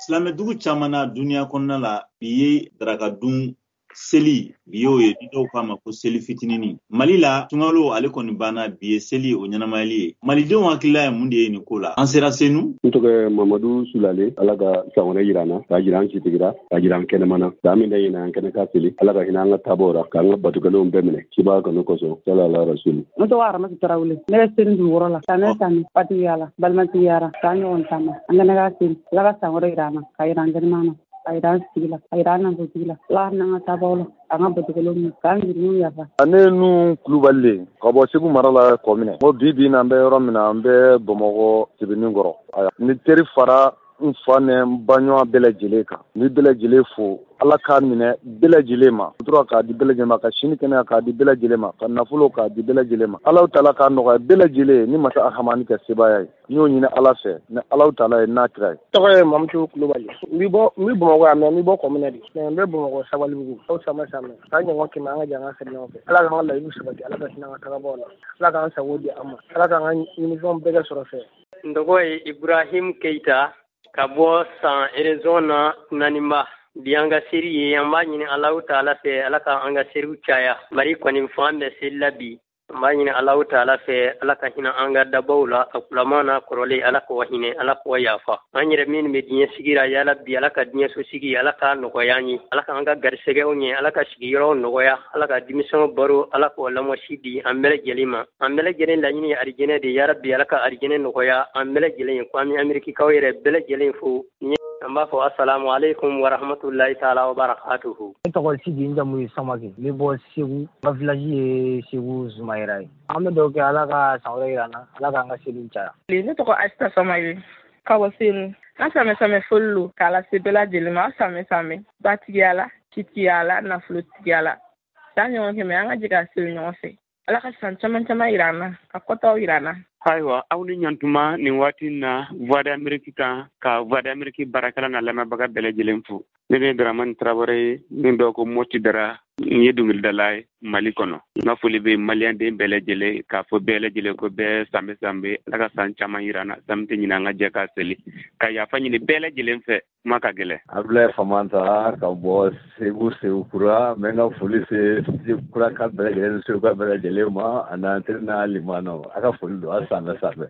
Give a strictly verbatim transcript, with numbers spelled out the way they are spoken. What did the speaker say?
Silamɛdugu caman na duniya kɔnɔna la, bi ye darakadun seli, bi y'o ye, ni dɔw k'a ma ko seli fitininin. Mali la, sunkalo ale kɔni banna, bi ye seli o ɲɛnamayali ye. Malidenw hakilila ye mun de ye nin ko la? An sera Senu. N tɔgɔ Mamadu Sulale. Ala ka san wɛrɛ yira an na, k'a jira an sitigira, k'a jira an kɛnɛmana. San min da ɲinɛ an kɛnɛ ka seli. Ala ka hinɛ an ka taabɔw ra, k'an ka batukɛlenw bɛɛ minɛ cibaga kanu kosɔn. Sala rasulu. N tɔgɔ Aramatu Tarawele. Ne bɛ Senu dugukɔrɔ la. Sanɛ sanni fatigiya la, balimatigiya la, k'an ɲɔgɔn taama. An kɛnɛ ka seli. Ala ka san wɛrɛ yira an na, k'a jira an kɛnɛmana na, a yira an sigi la, a yira an nafolontigi la. Ala ka n'an ka taabaw la, an ka batukɛlenw minɛ, k'an jurumu yafa. Ne nu Kulubali ka bɔ Segu mara la Kɔminɛ. Ko bi bi in na, an bɛ yɔrɔ min na, an bɛ Bamakɔ Sebenikɔrɔ. Ni teri fara n fa ni n baɲɔgɔn bɛɛ lajɛlen kan, n bɛ bɛɛ lajɛlen fo. Ala k'a minɛ bɛɛ lajɛlen ma, tura k'a di bɛɛ lajɛlen ma, ka sini kɛnɛya k'a di bɛɛ lajɛlen ma, ka nafolo k'a di bɛɛ lajɛlen ma. Ala taala k'a nɔgɔya bɛɛ lajɛlen ni masa Ahamani ka sebaaya ye. N y'o ɲini Ala fɛ ni Ala taala ye n'a kira ye. Tɔgɔ ye Mamutu Kulubali. N bɛ bɔ n bɛ Bamakɔ yan, mɛ n bɛ bɔ Kɔminɛ de. Mɛ n bɛ Bamakɔ Sabalibugu. Aw sama sama. K'an ɲɔgɔn kɛmɛ, an ka jɛ an ka seli ɲɔgɔn fɛ. Ala k'an ka layidu sabati, Ala ka hinɛ an ka tagabaw la. Ala k'an sago di an ma. Ala k'an ka ɲinifɛnw bɛɛ kɛ sɔrɔ fɛ. N tɔgɔ ye Ibrahim Keita ka bɔ San Arizona Naninba. Bi an ka seri ye, an b'a ɲini Alahu taala fɛ, Ala ka an ka seriw caya. Mali kɔni fan bɛɛ seli la bi. An b'a ɲini Alahu taala fɛ, Ala ka hinɛ an ka dabaw la, a kulama n'a kɔrɔlen, Ala k'o hinɛ, Ala k'o yafa. An yɛrɛ minnu bɛ diɲɛ sigi la, yala bi Ala ka diɲɛ so sigi, Ala k'a nɔgɔya an ye, Ala k'an ka garisɛgɛw ɲɛ, Ala ka sigiyɔrɔw nɔgɔya, Ala ka denmisɛnw baro, Ala k'o lamɔsi di an bɛɛ lajɛlen ma. An bɛɛ lajɛlen laɲini ye arijinɛ de ye, yala bi Ala ka arijinɛ nɔgɔya an bɛɛ lajɛlen ye. Ko an bɛ Amerikikaw yɛrɛ bɛɛ lajɛlen fo. An b'a fɔ asalamu aleykum wa rahmatulahi taala wa barakatuhu. Ne tɔgɔ Sidi, n jamu ye Samake. N bɛ bɔ Segu, n ka village ye Segu Zumayira ye. An bɛ dugawu kɛ Ala ka san wɛrɛ yira an na, Ala k'an ka seliw caya. Ne tɔgɔ Asita Samaye ka bɔ Senu. An samɛ samɛ foli lo k'a lase bɛɛ lajɛlen ma. An samɛ samɛ batigiya la, citigiya la, nafolotigiya la. San ɲɔgɔn kɛmɛ, an ka jɛ ka seli ɲɔgɔn fɛ. Ala ka san caman caman yira an na, ka kɔtaw yira an na. Ayiwa, aw ni ɲantuma nin waati na Voix d'Amérique kan, ka Voix d'Amérique baarakɛla n'a lamɛnbaga bɛɛ lajɛlen fo. Ne de ye Dramani Tarawele ye, min dɔw ko Moti Dara, n ye dɔnkilidala ye Mali kɔnɔ. N ka foli bɛ maliyɛnden bɛɛ lajɛlen, k'a fɔ bɛɛ lajɛlen ko bɛɛ sanbɛ sanbɛ, Ala ka san caman yira an na, san tɛ ɲinɛ an ka jɛ k'a seli, ka yafa ɲini bɛɛ lajɛlen fɛ, kuma ka gɛlɛn. Abulaye Famanta ka bɔ Segu, Segu Kura. N bɛ n ka foli se Segu Kura ka bɛɛ lajɛlen ni Segu ka bɛɛ lajɛlen ma, a n'an teri n'a limanaw. A ka foli don, a sanbɛ sanbɛ.